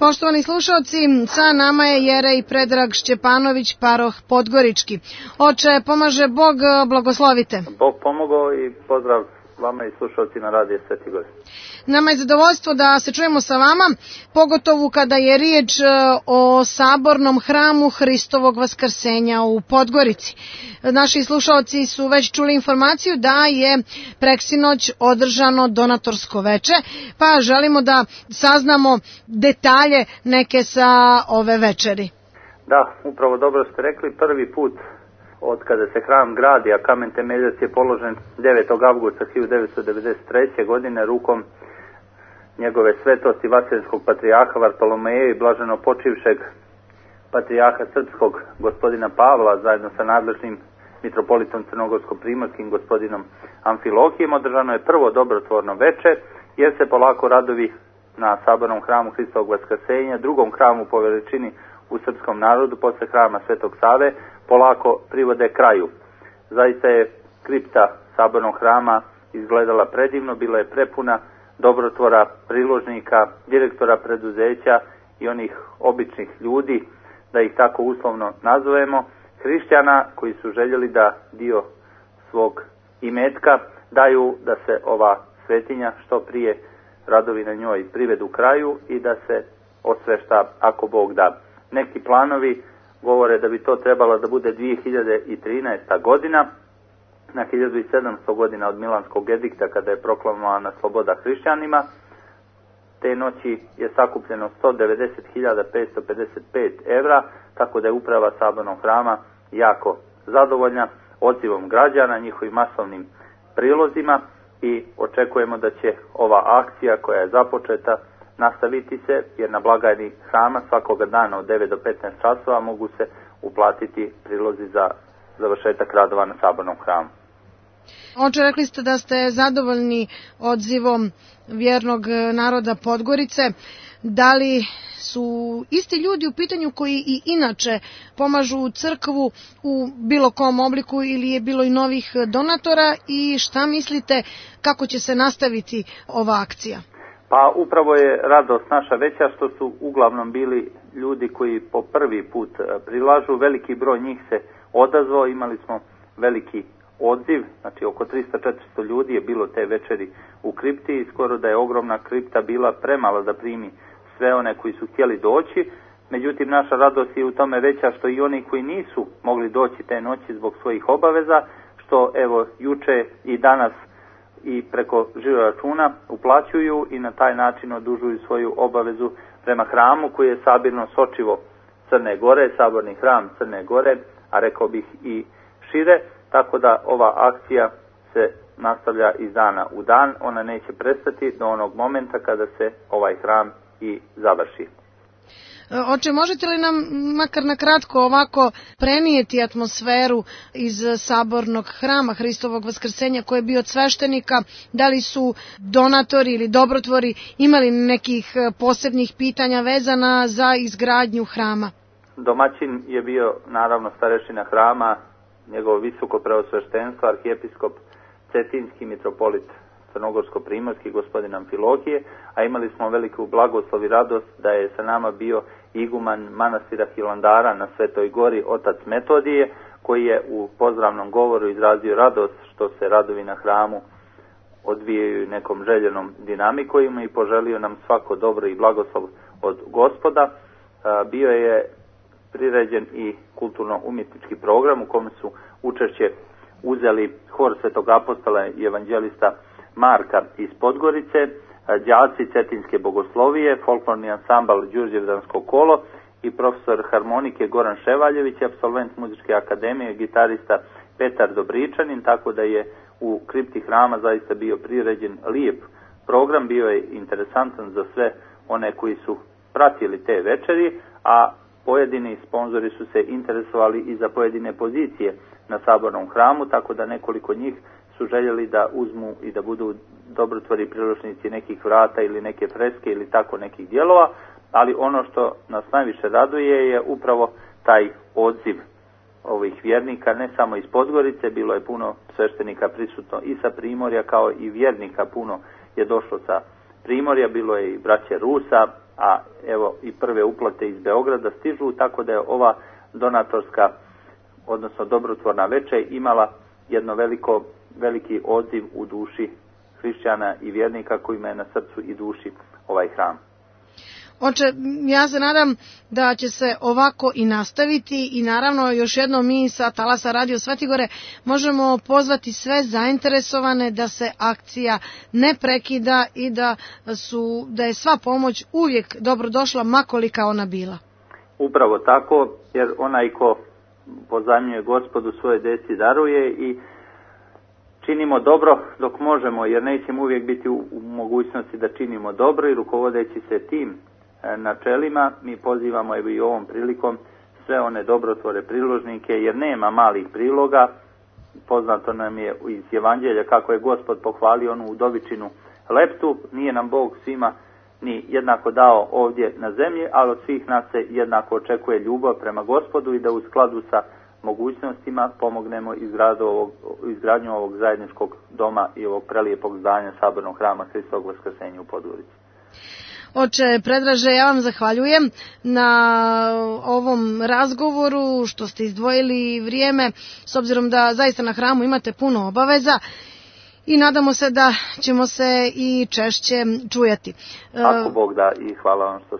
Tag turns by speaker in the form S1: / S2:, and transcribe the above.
S1: Poštovani slušalci, sa nama je Jerej Predrag Šćepanović, paroh Podgorički. Oče, pomaže Bog, blagoslovite.
S2: Bog pomogao i pozdrav vama i slušalci na radiju Sveti Gori.
S1: Nama je zadovoljstvo da se čujemo sa vama, pogotovo kada je riječ o sabornom hramu Hristovog vaskrsenja u Podgorici. Naši slušalci su već čuli informaciju da je preksinoć održano donatorsko veče, pa želimo da saznamo detalje neke sa ove večeri.
S2: Da, upravo dobro ste rekli, prvi put od kada se hram gradi, a kamen temeljac je položen 9. avgusta 1993. godine rukom njegove svetosti Vaseljenskog patrijarha Vartolomeja i blaženo počivšeg patrijarha srpskog gospodina Pavla zajedno sa nadležnim mitropolitom crnogorsko-primorskim gospodinom Amfilohijem održano je prvo dobrotvorno veče, jer se polako radovi na sabornom hramu Hristovog vaskrsenja, drugom hramu po veličini u srpskom narodu posle hrama Svetog Save, polako privode kraju. Zaista je kripta sabornog hrama izgledala predivno, bila je prepuna dobrotvora, priložnika, direktora preduzeća i onih običnih ljudi, da ih tako uslovno nazovemo, hrišćana koji su željeli da dio svog imetka daju da se ova svetinja što prije radovi na njoj privedu kraju i da se osvešta ako Bog da. Neki planovi govore da bi to trebalo da bude 2013. godina, na 1700 godina od Milanskog edikta kada je proklamovana sloboda hrišćanima. Te noći je sakupljeno 190.555 evra, tako da je uprava sabornog hrama jako zadovoljna odzivom građana, njihovim masovnim prilozima i očekujemo da će ova akcija koja je započeta nastaviti se, jer na blagajni hrama svakoga dana od 9 do 15 časova mogu se uplatiti prilozi za završetak radova na sabornom hramu.
S1: Oče, rekli ste da ste zadovoljni odzivom vjernog naroda Podgorice. Da li su isti ljudi u pitanju koji i inače pomažu u crkvu u bilo kom obliku ili je bilo i novih donatora i šta mislite kako će se nastaviti ova akcija?
S2: Pa upravo je radost naša veća što su uglavnom bili ljudi koji po prvi put prilažu. Veliki broj njih se odazvao, imali smo veliki odziv, znači oko 300-400 ljudi je bilo te večeri u kripti i skoro da je ogromna kripta bila premala da primi sve one koji su htjeli doći. Međutim, naša radost je u tome veća što i oni koji nisu mogli doći te noći zbog svojih obaveza, što evo juče i danas i preko žiroračuna uplaćuju i na taj način odužuju svoju obavezu prema hramu koji je sabirno sočivo Crne Gore, saborni hram Crne Gore, a rekao bih i šire, tako da ova akcija se nastavlja iz dana u dan, ona neće prestati do onog momenta kada se ovaj hram i završi.
S1: Oče, možete li nam makar na kratko ovako prenijeti atmosferu iz sabornog hrama Hristovog vaskrsenja koji je bio od sveštenika? Da li su donatori ili dobrotvori imali nekih posebnih pitanja vezana za izgradnju hrama?
S2: Domaćin je bio naravno starešina hrama, njegovo visoko preosveštenstvo, arhijepiskop Cetinski, mitropolit crnogorsko-primorski, gospodin Amfilohije, a imali smo veliku blagoslov i radost da je sa nama bio iguman manastira Hilandara na Svetoj Gori, otac Metodije, koji je u pozdravnom govoru izrazio radost što se radovi na hramu odvijaju nekom željenom dinamikom i poželio nam svako dobro i blagoslov od Gospoda. Bio je priređen i kulturno-umjetnički program u kome su učešće uzeli hor Svetog apostola i evanđelista Marka iz Podgorice, đaci Cetinske bogoslovije, folklorni ansambal Đurđevdansko kolo i profesor harmonike Goran Ševaljević, apsolvent muzičke akademije, gitarista Petar Dobričanin, tako da je u kripti hrama zaista bio priređen lijep program, bio je interesantan za sve one koji su pratili te večeri, a pojedini sponzori su se interesovali i za pojedine pozicije na sabornom hramu, tako da nekoliko njih su željeli da uzmu i da budu dobrotvori priložnici nekih vrata ili neke freske ili tako nekih dijelova, ali ono što nas najviše raduje je upravo taj odziv ovih vjernika, ne samo iz Podgorice, bilo je puno sveštenika prisutno i sa Primorja, kao i vjernika puno je došlo sa Primorja, bilo je i braće Rusa, a evo i prve uplate iz Beograda stižu, tako da je ova donatorska, odnosno dobrotvorna večer imala jedno veliki odziv u duši hrišćana i vjernika kojima je na srcu i duši ovaj hram.
S1: Oče, ja se nadam da će se ovako i nastaviti i naravno još jednom mi sa Talasa Radio Svetogore možemo pozvati sve zainteresovane da se akcija ne prekida i da je sva pomoć uvijek dobrodošla makolika ona bila.
S2: Upravo tako, jer onaj ko pozajmljuje Gospodu svoje deci daruje i činimo dobro dok možemo, jer nećemo uvijek biti u mogućnosti da činimo dobro i rukovodeći se tim načelima mi pozivamo i ovom prilikom sve one dobrotvore priložnike, jer nema malih priloga. Poznato nam je iz Evanđelja kako je Gospod pohvalio onu udovičinu leptu, nije nam Bog svima ni jednako dao ovdje na zemlji, ali od svih nas se jednako očekuje ljubav prema Gospodu i da u skladu sa mogućnostima pomognemo izgradnju ovog zajedničkog doma i ovog prelijepog zdanja Sabornog hrama Hristovog Vaskrsenja u Podgorici.
S1: Oče Predraže, ja vam zahvaljujem na ovom razgovoru što ste izdvojili vrijeme, s obzirom da zaista na hramu imate puno obaveza i nadamo se da ćemo se i češće čujati.
S2: Ako Bog da, i hvala vam što